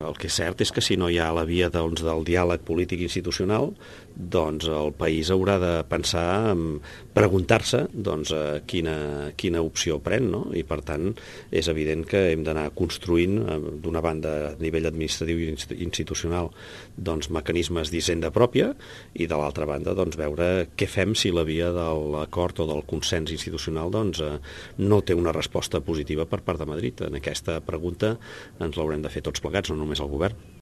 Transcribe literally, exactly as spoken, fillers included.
el que és cert és que si no hi ha la via doncs, del diàleg polític institucional, doncs el país haurà de pensar, preguntar-se doncs, quina, quina opció pren, no? I per tant és evident que hem d'anar construint d'una banda a nivell administratiu i institucional doncs, mecanismes d'hisenda pròpia i de l'altra banda doncs, veure què fem si la via de l'acord o del consens institucional doncs, no té una resposta positiva per part de Madrid. En aquesta pregunta ens l'haurem de fer tots plegats, no només el govern.